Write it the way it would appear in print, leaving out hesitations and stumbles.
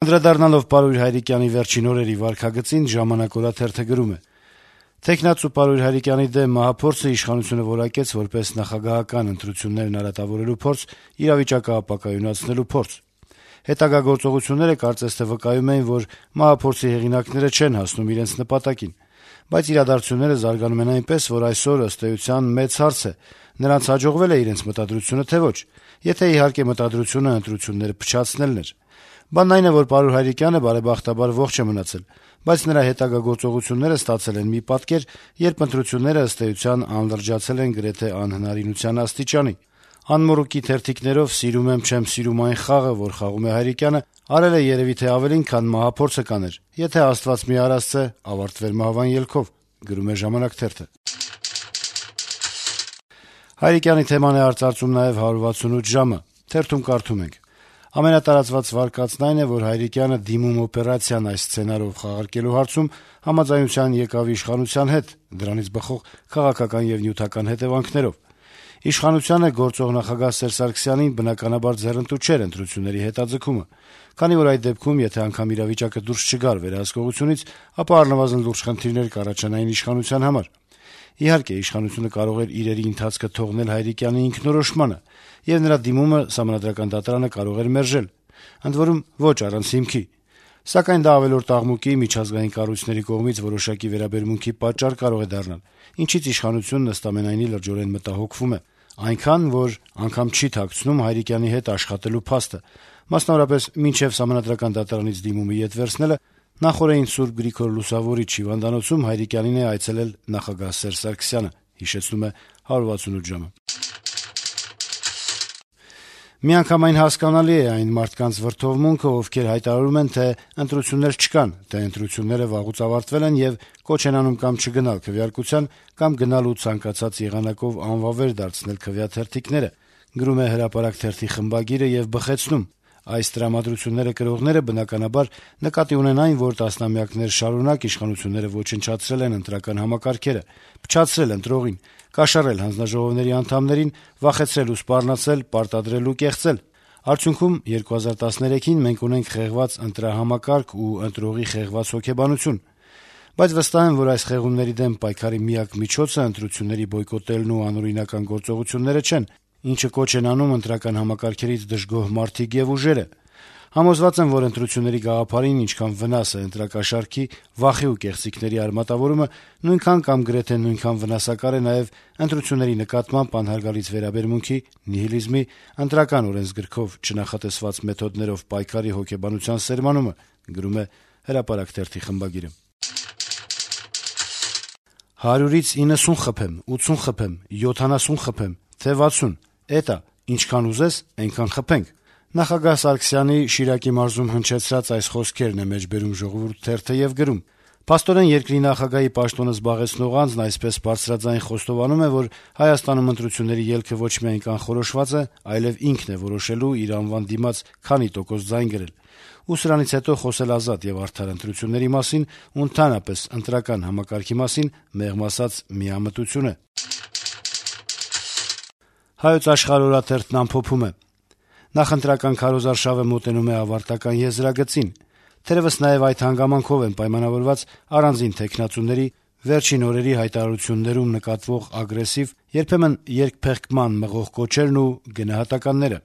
Անդրադառնալով Պարույր Հայրիկյանի վերջին օրերի վարքագծին «Ժամանակ» օրաթերթը գրում է. - «Թեկնածու Պարույր Հայրիկյանի դեմ մահափորձը իշխանությունը որակեց որպես նախագահական ընտրություններն արատավորելու փորձ, իրավիճակը ապակայունացնելու փորձ: Հետագա գործողությունները կարծես թե վկայում էին, որ մահափորձի հեղինակները չեն հասնում իրենց նպատակին: Բայց իրադարձությունները զարգանում են այնպես, որ այսօր, ըստ էության, մեծ հարց է` նրանց հաջողվե՞լ է իրենց մտադրությունը, թե ոչ: Եթե, իհարկե, մտադրությունը ընտրությունները փչացնելն էր: Բանն այն է, որ Պարույր Հայրիկյանը բարեբախտաբար ողջ է մնացել, բայց նրա հետագա գործողությունները ստացել են մի պատկեր, երբ ընտրությունները, ըստ էության, անլրջացել են գրեթե անհնարինության աստիճանի: Անմոռուկի թերթիկներով «սիրում եմ, չեմ սիրում» այն խաղը, որ խաղում է Հայրիկյանը, արել է երեւի թե ավելին, քան մահափորձը կաներ, եթե Աստված մի արասցե, ավարտվեր մահվան ելքով»: Հայրիկյանի թեման է արծարծում նաեւ «168 ժամ»-ը: Թերթում կարդում ենք. - «Ամենատարածված վարկածն այն է, որ Հայրիկյանը դիմում օպերացիան այս սցենարով խաղարկելու հարցում համաձայնության եկավ իշխանության հետ` դրանից բխող քաղաքական եւ նյութական հետեւանքներով: Իշխանությանը, գործող նախագահ Սերժ Սարգսյանին, բնականաբար, ձեռնտու չէր ընտրությունների հետաձգումը, քանի որ այդ դեպքում, եթե անգամ իրավիճակը դուրս չգար վերահսկողությունից, ապա առնվազն լուրջ խնդիրներ կառաջանային իշխանության համար: Իհարկե, իշխանությունը կարող էր իրերի ընթացքը թողնել Հայրիկյանի ինքնորոշմանը, եւ նրա դիմումը Սահմանադրական դատարանը կարող էր մերժել, ընդ որում, ոչ առանց հիմքի: Սակայն դա ավելորդ աղմուկի, միջազգային կառույցների կողմից որոշակի վերաբերմունքի պատճառ կարող է դառնալ, ինչից իշխանությունն, ըստ ամենայնի, լրջորեն մտահոգվում է: Այնքան, որ անգամ չի թաքցնում Հայրիկյանի հետ աշխատելու փաստը: Մասնավորապես, մինչեւ Սահմանադրական դատարանից դիմումը ետ վերցնելը, նախօրեին Սուրբ Գրիգոր Լուսավորիչ հիվանդանոցում Հայրիկյանին է այցելել նախագահ Սերժ Սարգսյանը»: Միանգամայն հասկանալի է այն մարդկանց վրդովմունքը, ովքեր հայտարարում են, թե ընտրություններ չկան, թե ընտրությունները վաղուց ավարտվել են եւ կոչ են անում կամ չգնալ քվեարկության, կամ գնալ ու ցանկացած եղանակով անվավեր դարձնել քվեաթերթիկները: Գրում է «Հրապարակ» թերթի խմբագիրը եւ բխեցնում. - «Այս տրամադրությունները կրողները, բնականաբար, նկատի ունեն այն, որ տասնամյակներ շարունակ իշխանությունները ոչնչացրել են ընտրական համակարգերը, փչացրել ընտրողին, կաշառել հանձնաժողովների անդամներին, վախեցրել ու սպառնացել, պարտադրել ու կեղծել: Արդյունքում 2013-ին մենք ունենք խեղված ընտրահամակարգ ու ընտրողի խեղված հոգեբանություն: Բայց վստահ եմ, որ այս խեղումների դեմ պայքարի միակ միջոցը ընտրությունների բոյկոտելն ու անօրինական գործողությունները չեն, ինչը կոչ են անում ընտրական համակարգերից դժգոհ մարդիկ եւ ուժերը: Համոզված եմ, որ ընտրությունների գաղափարին ինչքան վնաս է ընտրակաշառքի, վախի ու կեղծիքների արմատավորումը, նույնքան կամ գրեթե նույնքան վնասակար է նաեւ ընտրությունների նկատմամբ անհարգալից վերաբերմունքի, նիհիլիզմի, ընտրական օրենսգրքով չնախատեսված մեթոդներով պայքարի հոգեբանության սերմանումը»: 100-ից 90 խփեմ, 80 խփեմ, 70 խփեմ, թե 60, էդ ա, ինչքան ուզես, այնքան խփենք: Նախագահ Սարգսյանի Շիրակի մարզում հնչեցրած այս խոսքերն է մեջբերում «Ժողովուրդ» թերթը եւ գրում. - «Փաստորեն, երկրի նախագահի պաշտոնը զբաղեցնող անձն այսպես բարձրաձայն խոստովանում է, որ Հայաստանում ընտրությունների ելքը ոչ միայն կանխորոշված է, այլեւ ինքն է որոշելու իր անվան դիմաց քանի տոկոս ձայն գրել: Ու սրանից հետո խոսել ազատ եւ արդար ընտրությունների մասին ու ընդհանրապես ընտրական համակարգի մասին, մեղմ ասած, միամտություն է»: «Հայոց Աշխարհ» օրաթերթն ամփոփում է. - «Նախընտրական քարոզարշավը մոտենում է ավարտական եզրագծին: Թերեւս նաեւ այդ հանգամանքով են պայմանավորված առանձին թեկնածուների վերջին օրերի հայտարարություններում նկատվող ագրեսիվ, երբեմն երկփեղկման մղող կոչերն ու գնահատականները: